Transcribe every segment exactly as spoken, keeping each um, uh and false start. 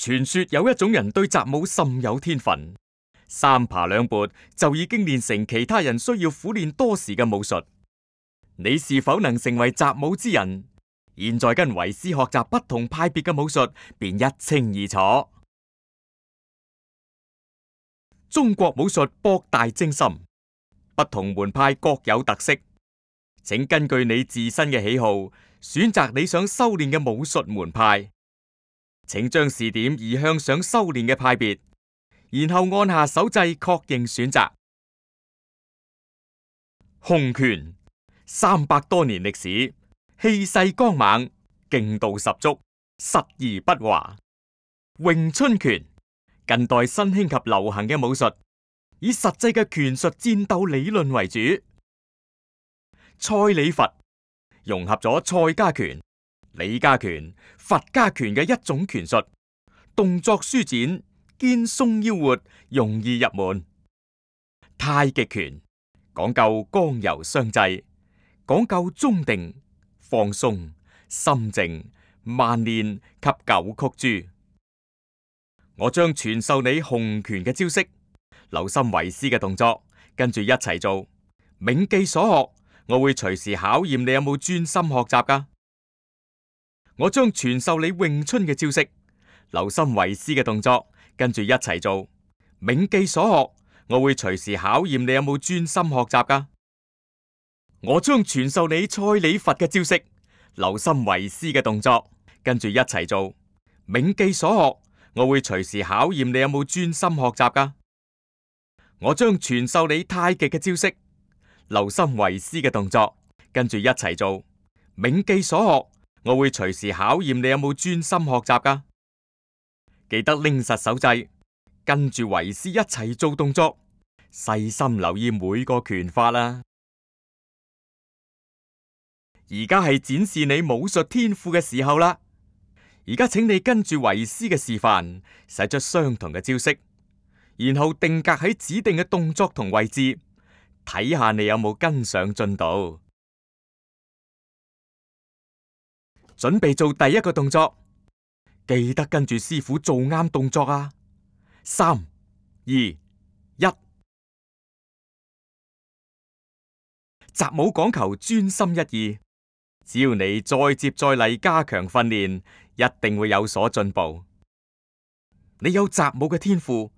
傳說有一種人對習武甚有天分，三爬兩撥就已經練成其他人需要苦練多時嘅武術。你是否能成為習武之人？現在跟為師學習不同派別嘅武術，便一清二楚。中國武術博大精深，不同門派各有特色，請根據你自身嘅喜好，選擇你想修煉嘅武術門派。請將視點移向想修煉嘅派別，然後按下手掣確認選擇。洪拳三百多年歷史，氣勢剛猛，勁度十足，實而不華。詠春拳近代新興及流行嘅武術，以實際嘅拳術戰鬥理論為主。蔡李佛融合咗蔡家拳、李家拳、佛家拳嘅一種拳術，動作舒展，肩鬆腰活，容易入門。太極拳講究剛柔相濟，講究中定、放鬆、心靜、慢練及九曲珠。我將傳授你洪拳嘅招式，留心為師嘅動作，跟住一齊做，銘記所學。我會隨時考驗你有冇專心學習㗎。我將傳授你詠春嘅招式，留心為師嘅動作，跟住一齊做，銘記所學。我會隨時考驗你有冇專心學習㗎。我將傳授你蔡李佛嘅招式，留心為師嘅動作，跟住一齊做，銘記所學。我會隨時考驗你有冇專心學習㗎。我將傳授你太極嘅招式，留心為師嘅動作，跟住一齊做，銘記所學。我會隨時考驗你有冇專心學習㗎。記得拎實手掣，跟住為師一齊做動作，細心留意每個拳法啦。而家係展示你武術天賦嘅時候啦。而家請你跟住為師嘅示範，使出相同嘅招式，然後定格喺指定嘅動作同位置，睇下你有冇跟上進度。準備做第一個動作，記得跟住師傅做啱動作啊！三、二、一。習武講求專心一意，只要你再接再厲加強訓練，一定會有所進步。你有習武嘅天賦，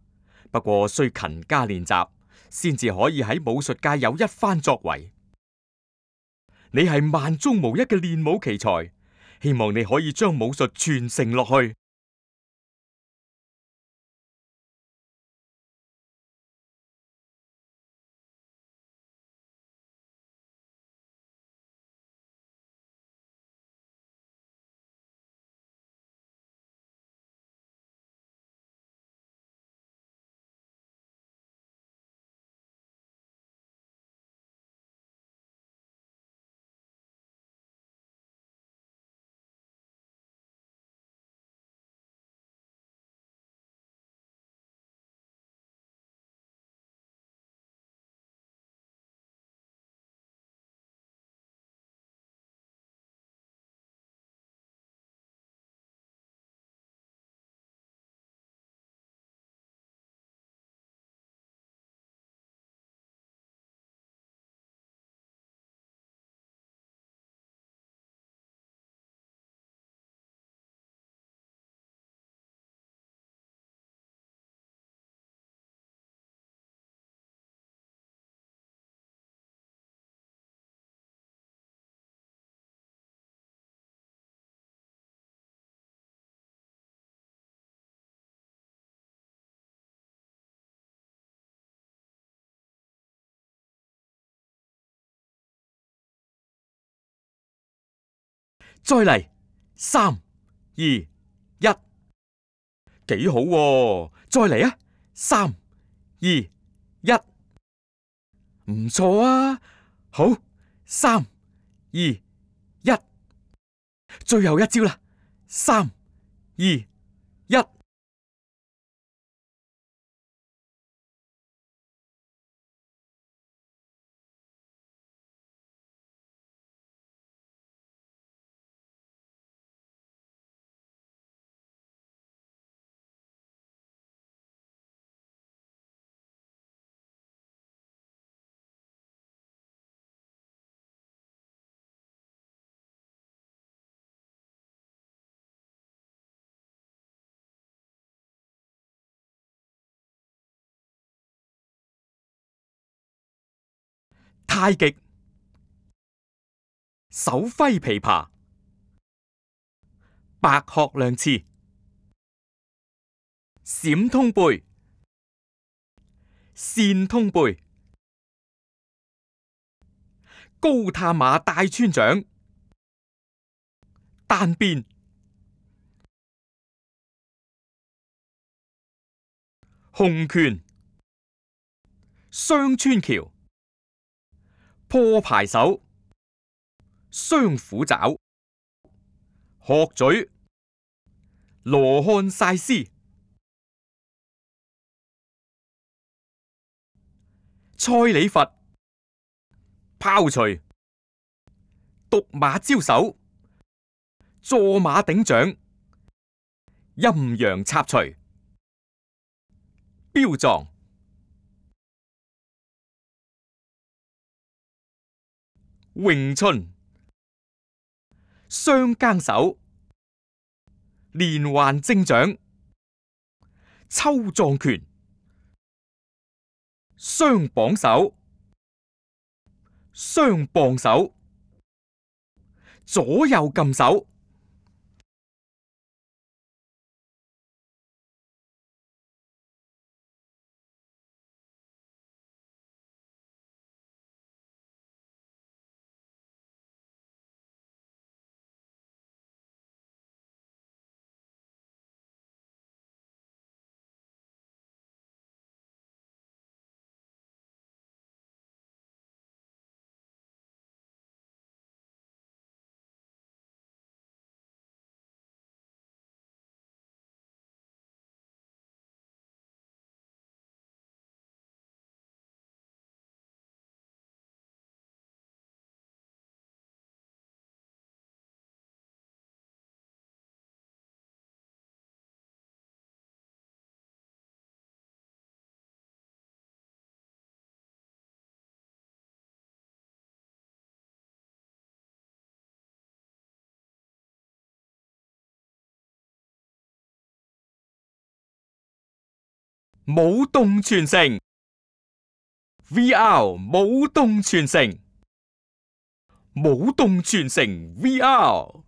不過需勤加練習，先至可以喺武術界有一番作為。你係萬中無一嘅練武奇才，希望你可以將武術傳承落去。再嚟，三、二、一，幾好喎！再嚟啊，三、二、一，唔錯啊！好，三、二、一，最後一招啦，三、二、一。太極、手揮琵琶、白鶴亮翅、閃通背、線通背、高探馬戴村長、單邊、紅拳、雙穿橋、破牌手、雙虎爪、鶴嘴、羅漢晒絲、蔡李佛、拋錘、獨馬招手、坐馬頂掌、陰陽插錘、標撞、詠春、雙更手、連環正掌、抽撞拳、雙綁手、雙磅手、左右撳手。舞動傳承 V R 舞動傳承，舞動傳承 V R。